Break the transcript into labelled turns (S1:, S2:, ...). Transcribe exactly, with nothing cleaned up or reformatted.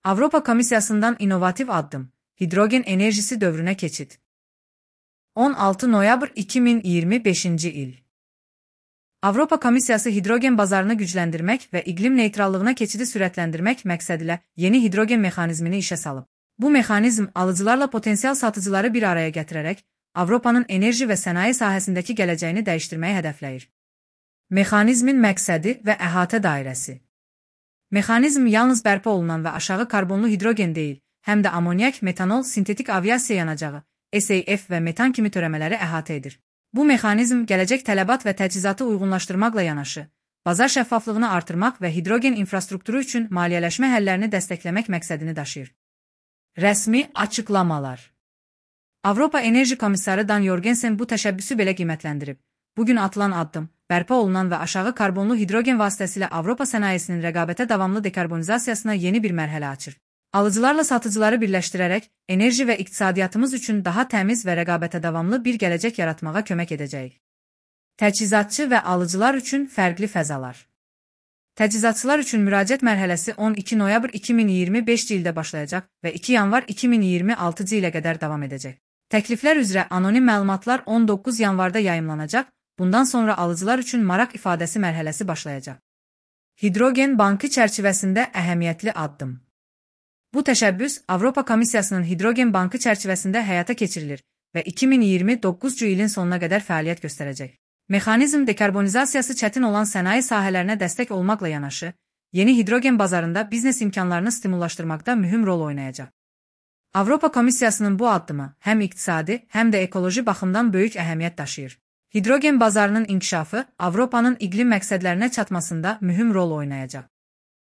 S1: Avropa Komissiyasından inovativ addım, hidrogen enerjisi dövrüne keçid. on altı noyabr iki min iyirmi beşinci il. Avropa Komissiyası hidrogen bazarını gücləndirmək və iqlim neytrallığına keçidi sürətləndirmək məqsədilə yeni hidrogen mexanizmini işə salıb. Bu mexanizm alıcılarla potensial satıcıları bir araya gətirərək Avropanın enerji və sənaye sahəsindəki gələcəyini dəyişdirməyi hədəfləyir. Mexanizmin məqsədi və əhatə dairəsi. Mexanizm yalnız bərpa olunan və aşağı karbonlu hidrogen deyil, həm də amonyak, metanol, sintetik aviasiya yanacağı, S A F və metan kimi törəmələri əhatə edir. Bu mexanizm gələcək tələbat və təchizatı uyğunlaşdırmaqla yanaşı, bazar şəffaflığını artırmaq və hidrogen infrastrukturu üçün maliyyələşmə həllərini dəstəkləmək məqsədini daşıyır. Rəsmi açıqlamalar. Avropa Enerji Komissarı Dan Jorgensen bu təşəbbüsü belə qiymətləndirib. Bugün atılan addım, bərpa olunan və aşağı karbonlu hidrogen vasitəsilə Avropa sənayesinin rəqabətə davamlı dekarbonizasiyasına yeni bir mərhələ açır. Alıcılarla satıcıları birləşdirərək, enerji və iqtisadiyyatımız üçün daha təmiz və rəqabətə davamlı bir gələcək yaratmağa kömək edəcəyik. Təchizatçı və alıcılar üçün fərqli fəzalar. Təchizatçılar üçün müraciət mərhələsi on iki noyabr iki min iyirmi beşinci ildə başlayacaq və iki yanvar iki min iyirmi altıncı ilə qədər davam edəcək. Təkliflər üzrə anonim məlumatlar on doqquz yanvarda yayımlanacaq, bundan sonra alıcılar üçün maraq ifadəsi mərhələsi başlayacaq. Hidrogen bankı çərçivəsində əhəmiyyətli addım. Bu təşəbbüs Avropa Komissiyasının hidrogen bankı çərçivəsində həyata keçirilir və iki min iyirmi doqquzuncu ilin sonuna qədər fəaliyyət göstərəcək. Mexanizm dekarbonizasiyası çətin olan sənaye sahələrinə dəstək olmaqla yanaşı, yeni hidrogen bazarında biznes imkanlarını stimullaşdırmaqda mühüm rol oynayacaq. Avropa Komissiyasının bu addımı həm iqtisadi, həm də ekoloji baxımdan böyük əhəmiyyət daşıyır. Hidrogen bazarının inkişafı Avropanın iqlim məqsədlərinə çatmasında mühüm rol oynayacaq.